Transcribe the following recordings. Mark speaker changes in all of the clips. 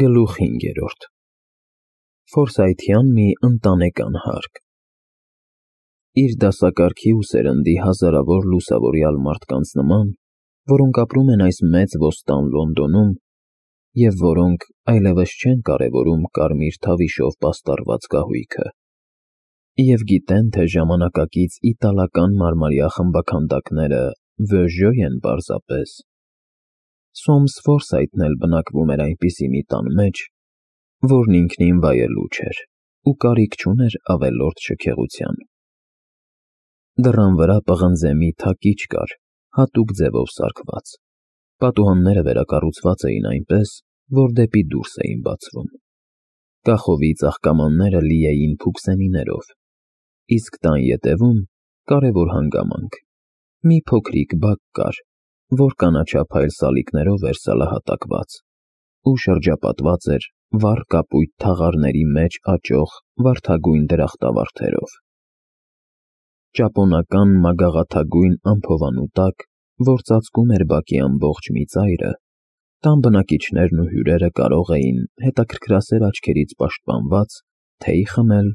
Speaker 1: Գլուխ 5 Ֆորսայթյան մի ընտանեկան հարկ Իր դասակարգի ու սերնդի հազարավոր լուսավորյալ մարդկանց նման, որոնք ապրում են այս մեծ ոստան Լոնդոնում և որոնք այլևս չեն կարևորում կարմիր թավիշով պաստառված կահույքը և գիտեն, թե ժամանակակից իտալական մարմարյա խմբաքանդակները «վեժո» են պարզապես, Սոմս Ֆորսայթն էլ բնակվում էր այնպիսի մի տան մեջ, որն ինքնին վայելուչ էր ու կարիք չուներ ավելորդ շքեղության։ Դռան վրա պղնձե մի թակիչ կար, հատուկ ձևով սարքված, պատուհանները վերակառուցված էին այնպես, որ դեպի դուրս էին բացվում։ Կախովի ծաղկամանները լի էին փուքսենիներով, իսկ տան ետևում կարևոր հանգամանք, մի փոքրիկ բակ կար, որ կանաչափայլ սալիկներով էր սալահատակված ու շրջապատված էր վառ կապույտ թաղարների մեջ աճող վարդագույն դրախտավարդերով։ Ճապոնական մագաղաթագույն ամփովանու տակ, որ ծածկում էր բակի ամբողջ մի ծայրը, տան բնակիչներն ու հյուրերը կարող էին, հետաքրքրասեր աչքերից պաշտպանված, թեյ խմել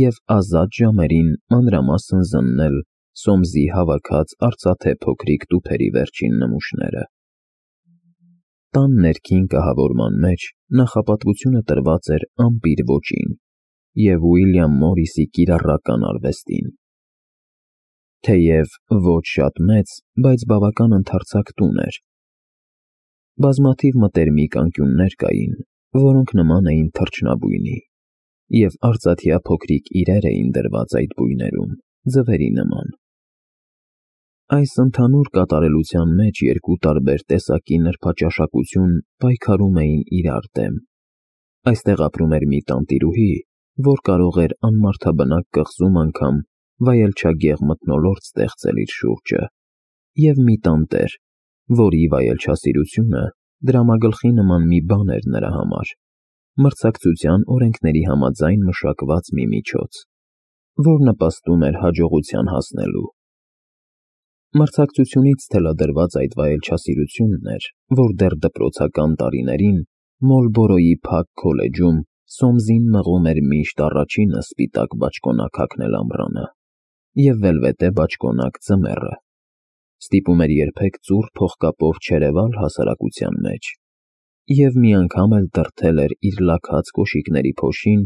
Speaker 1: և ազատ ժամերին մանրամասն զննել Սոմսի հավաքած արծաթե փոքրիկ տուփերի վերջին նմուշները։ Տան ներքին կահավորման մեջ նախապատվությունը տրված էր ամպիր ոճին և Ուիլյամ Մորիսի կիրառական արվեստին։ Թեև ոչ շատ մեծ, բայց բավական ընդարձակ տուն էր։ Բազմաթիվ մտերմիկ անկյուններ կային, որոնք նման էին թռչնաբույնի, և արծաթյա փոքրիկ իրեր էին դրված այդ բույներում, ձվերի նման։ Այս ընդհանուր կատարելության մեջ երկու տարբեր տեսակի նրբաճաշակություն պայքարում էին իրար դեմ։ Այստեղ ապրում էր մի տանտիրուհի, որ կարող էր անմարդաբնակ կղզում անգամ վայելչագեղ մթնոլորտ ստեղծել իր շուրջը, և մի տանտեր, որի վայելչասիրությունը դրամագլխի նման մի բան էր նրա համար, մրցակցության օրենքների համաձայն մշակված մի միջոց, որ նպաստում էր հաջողության հասնելու։ Մրցակցությունից թելադրված այդ վայելչասիրությունն էր, որ դեռ դպրոցական տարիներին Մոլբորոյի Փակ քոլեջում Սոմսին մղում էր միշտ առաջինը սպիտակ բաճկոնակ հագնել ամռանը և վելվետե բաճկոնակ ձմեռը, ստիպում էր երբեք ծուռ փողկապով չերևալ հասարակության մեջ և մի անգամ էլ դրդել էր իր լաքած կոշիկների փոշին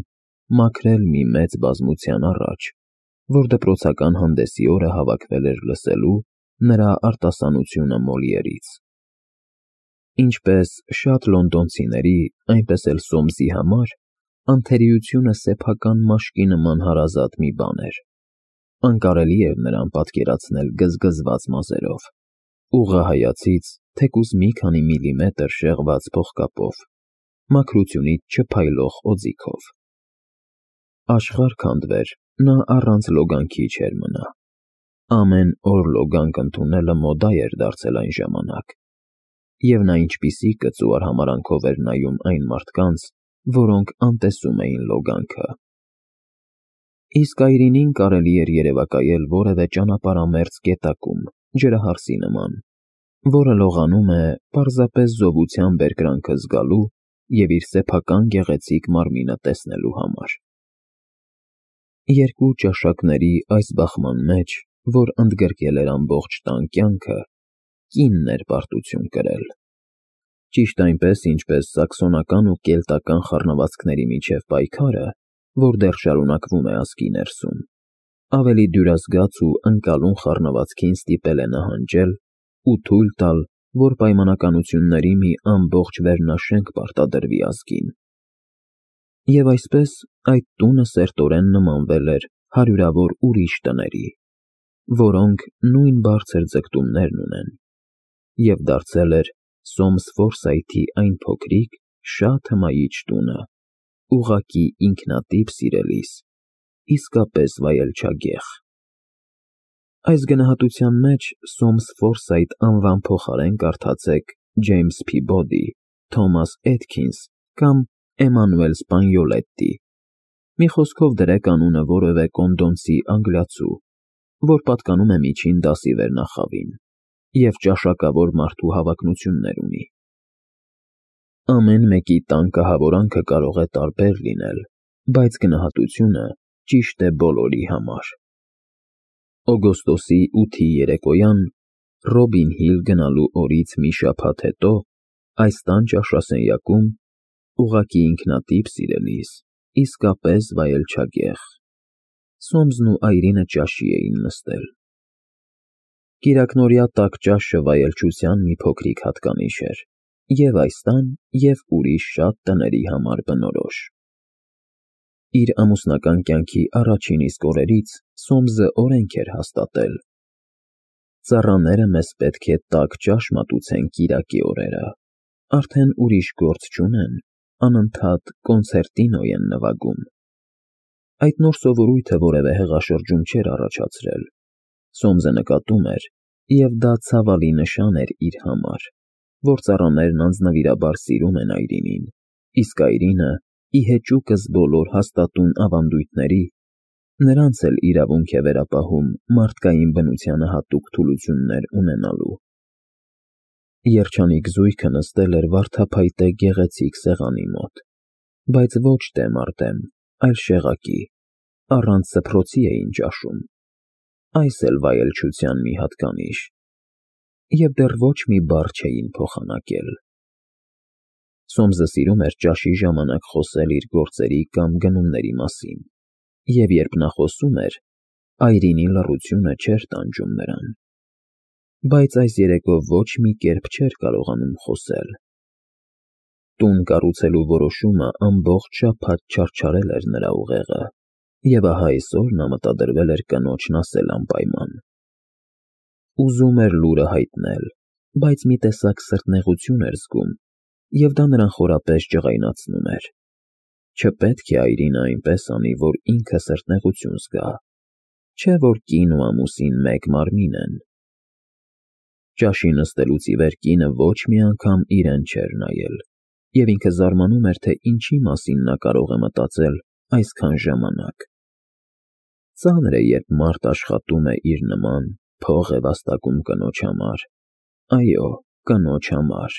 Speaker 1: մաքրել մի մեծ բազմության առաջ, որ դպրոցական հանդեսի օրը հավաքվել էր լսելու նրա արտասանությունը Մոլիերից։ Ինչպես շատ լոնդոնցիների, այնպես էլ Սոմսի համար անթերիությունը սեփական մաշկի նման հարազատ մի բան էր։ Անկարելի էր նրան պատկերացնել գզգզված մազերով, ուղղահայացից թեկուզ մի քանի միլիմետր շեղված փողկապով, մաքրությունից չփայլող օձիքով։ Աշխարհ քանդվեր, նա առանց լոգանքի չէր մնա։ Ամեն օր լոգանք ընդունելը մոդա էր դարձել այն ժամանակ, և նա ինչպիսի կծու արհամարհանքով էր նայում այն մարդկանց, որոնք անտեսում էին լոգանքը։ Իսկ այրինին կարելի էր երևակայել որևէ ճանապարհամերձ գետակում, ջրահարսի նման, որը լողանում է պարզապես զովության բերկրանքը զգալու և իր սեփական գեղեցիկ մարմինը տեսնելու համար։ Երկու ճաշակների այս բախման մեջ, որ ընդգրկել էր ամբողջ տան կյանքը, կինն էր պարտություն կրել։ Ճիշտ այնպես, ինչպես սաքսոնական ու կելտական խառնվածքների միջև պայքարը, որ դեռ շարունակվում է ազգի ներսում, ավելի դյուրազգաց ու ընկալուն խառնվածքին ստիպել է նահանջել ու թույլ տալ, որ պայմանականությունների մի ամբողջ վերնաշենք պարտադրվի ազգին։ Եվ այսպես այդ տունը սերտորեն նմանվել էր հարյուրավոր ուրիշ տների, որոնք նույն բարձր ձգտումներն ունեն, և դարձել էր Սոմս Ֆորսայթի այն փոքրիկ, շատ հմայիչ տունը, ուղղակի ինքնատիպ սիրելիս, իսկապես վայելչագեղ։ Այս գնահատության մեջ Սոմս Ֆորսայթ անվան փոխարեն կարդացեք Ջեյմս Փիբոդի, Թոմաս Էթքինս կամ Էմանուել Սպանյոլետտի, մի խոսքով դրեք անունը որևէ կոնդոնցի անգլիացու, որ պատկանում է միջին դասի վերնախավին և ճաշակավոր մարդու հավակնություններ ունի։ Ամեն մեկի տան կահավորանքը կարող է տարբեր լինել, բայց գնահատությունը ճիշտ է բոլորի համար։ Օգոստոսի 8-ի երեկոյան, Ռոբին Հիլ գնալու օրից մի շաբաթ հետո, այս տան ճաշասենյակում, ուղղակի ինքնատիպ սիրելիս, իսկապես վայելչագեղ, Սոմսն ու Այրինը ճաշի էին նստել։ Կիրակնօրյա տաք ճաշը վայելչության մի փոքրիկ հատկանիշ էր, և այս տան, և ուրիշ շատ տների համար բնորոշ։ Իր ամուսնական կյանքի առաջին իսկ օրերից Սոմսը օրենք էր հաստատել. ծառաները մեզ պետք է տաք ճաշ մատուցեն կիրակի օրերը, արդեն ուրիշ գործ չունեն, անընդհատ կոնցերտինո են նվագում։ Այդ նոր սովորույթը որևէ հեղաշրջում չէր առաջացրել, Սոմսը նկատում էր, և դա ցավալի նշան էր իր համար, որ ծառաներն անձնվիրաբար սիրում են Այրինին, իսկ Այրինը, ի հեճուկս բոլոր հաստատուն ավանդույթների, նրանց էլ իրավունք է վերապահում մարդկային բնությանը հատուկ թուլություններ ունենալու։ Երջանիկ զույգը նստել էր վարդափայտե գեղեցիկ սեղանի մոտ, բայց ոչ դեմ առ դեմ, այլ շեղակի, առանց սփռոցի էին ճաշում, այս էլ վայելչության մի հատկանիշ, և դեռ ոչ մի բառ չէին փոխանակել։ Սոմսը սիրում էր ճաշի ժամանակ խոսել իր գործերի կամ գնումների մասին, և երբ նա խոսում էր, Այրինի լռությունը չէր տանջում նրան, բայց այս երեկո ոչ մի կերպ չէր կարողանում խոսել։ Տուն կառուցելու որոշումը ամբողջ շաբաթ չարչարել էր նրա ուղեղը, և ահա այսօր նա մտադրվել էր կնոջն ասել անպայման։ Ուզում էր լուրը հայտնել, բայց մի տեսակ սրտնեղություն էր զգում, և դա նրան խորապես ջղայնացնում էր։ Չպետք է Այրինը այնպես անի, որ ինքը սրտնեղություն զգա, չէ՞ որ կին ու ամուսին մեկ մարմին են։ Ճաշի նստելուց ի վեր կինը ոչ մի անգամ իրեն չէր նայել, և ինքը զարմանում էր, թե ինչի մասին նա կարող է մտածել այսքան ժամանակ։ Ծանր է, երբ մարդ աշխատում է իր նման, փող է վաստակում կնոջ համար, այո, կնոջ համար,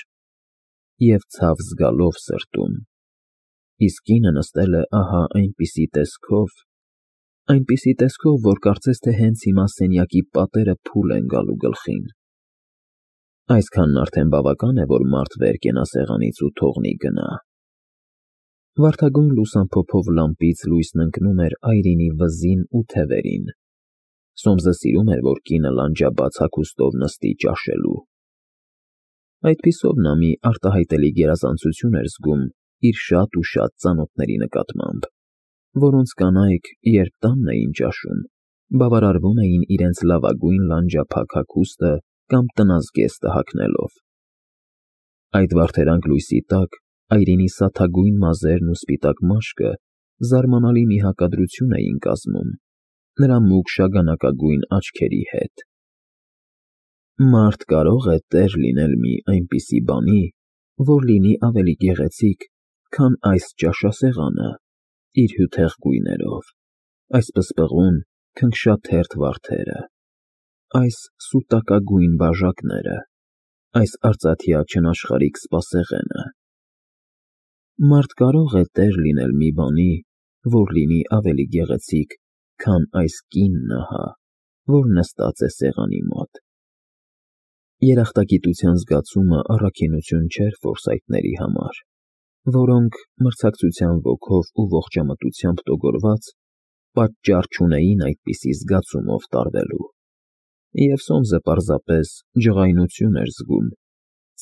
Speaker 1: և ցավ զգալով սրտում, իսկ կինը նստել է ահա այնպիսի տեսքով, որ կարծես թե հենց հիմա սենյակի պատերը փուլ են գալու գլխին։ Այսքանն արդեն բավական է, որ մարդ վեր կենա սեղանից ու թողնի գնա։ Վարդագույն լուսամփոփով լամպից լույսն ընկնում էր Այրինի վզին ու թևերին։ Սոմսը սիրում էր, որ կինը լանջաբաց հագուստով նստի ճաշելու։ Այդպիսով նա մի արտահայտելի գերազանցություն էր զգում իր շատ ու շատ ծանոթների նկատմամբ, որոնց կանայք, երբ տանն էին ճաշում, բավարարվում էին իրենց լավագույն լանջափակ հագուստը կամ տնազգեստը հագնելով։ Այդ վարդերանք լույսի տակ Այրինի սաթագույն մազերն ու սպիտակ մաշկը զարմանալի մի հակադրություն էին կազմում նրա մուգ շագանակագույն աչքերի հետ։ Մարդ կարող է տեր լինել մի այնպիսի բանի, որ լինի ավելի գեղեցիկ, քան այս ճաշասեղանը, իր հյութեղ գույներով, այս պսպղուն, քնքշաթերթ վարդերը, այս սուտակագույն բաժակները, այս արծաթյա չնաշխարհիկ սպասեղենը։ Մարդ կարող է տեր լինել մի բանի, որ լինի ավելի գեղեցիկ, քան այս կինն ահա, որ նստած է սեղանի մոտ։ Երախտագիտության զգացումը առաքինություն չէր ֆորսայթների համար, որոնք, մրցակցության ոգով ու ողջամտությամբ տոգորված, պատճառ չունեին այդպիսի զգացումով տարվելու։ Եվ Սոմսը պարզապես ջղայնություն էր զգում,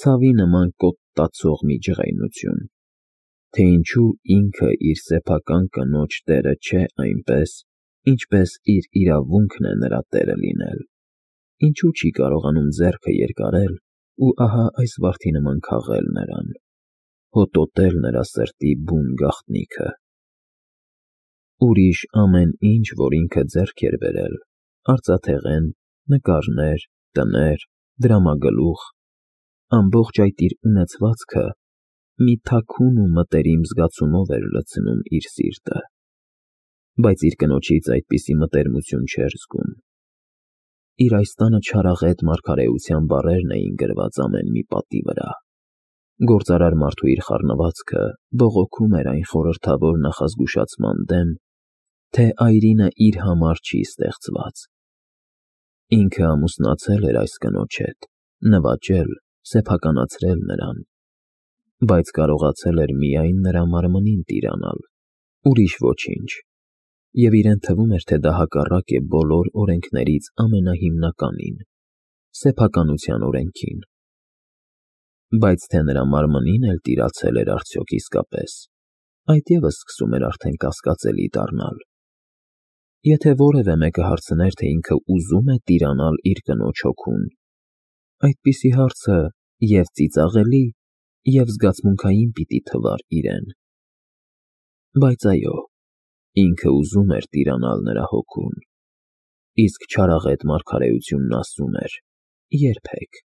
Speaker 1: ցավի նման կոպտացող մի ջղայնություն, թե ինչու ինքը իր սեփական կնոջ տերը չէ այնպես, ինչպես իր իրավունքն է նրա տերը լինել, ինչու չի կարողանում ձեռքը երկարել ու ահա այս վարդի նման քաղել նրան, հոտոտել նրա սրտի բուն գաղտնիքը։ Ուրիշ ամեն ինչ, որ ինքը ձեռք էր բերել, արծաթեղեն, նկարներ, տներ, դրամագլուխ, ամբողջ այդ իր ունեցվածքը մի թաքուն ու մտերիմ զգացումով էր լցնում իր սիրտը, բայց իր կնոջից այդպիսի մտերմություն չէր զգում։ Իր այս տանը չարաղետ մարգարեության բառերն էին գրված ամեն մի պատի վրա, Գործարար մարդու իր խառնվածքը բողոքում էր այն խորհրդավոր նախազգուշացման դեմ, թե այրինը իր համար չի ստեղծված։ Ինքը ամուսնացել էր այս կնոջ հետ, նվաճել, սեփականացրել նրան, բայց կարողացել էր միայն նրա մարմնին տիրանալ, ուրիշ ոչինչ, և իրեն թվում էր, թե դա հակառակ է բոլոր օրենքներից ամենահիմնականին՝ սեփականության օրենքին։ Բայց թե նրա մարմնին էլ տիրացել էր արդյոք իսկապես, այդ ևս սկսում էր արդեն կասկածելի դառնալ։ Եթե որևէ մեկը հարցներ, թե ինքը ուզում է տիրանալ իր կնոջ հոգուն, այդպիսի հարցը և ծիծաղելի, և զգացմունքային պիտի թվար իրեն։ Բայց այո, ինքը ուզում էր տիրանալ նրա հոգուն, իսկ չարաղետ մարգարեությունն ասում էր՝ երբեք։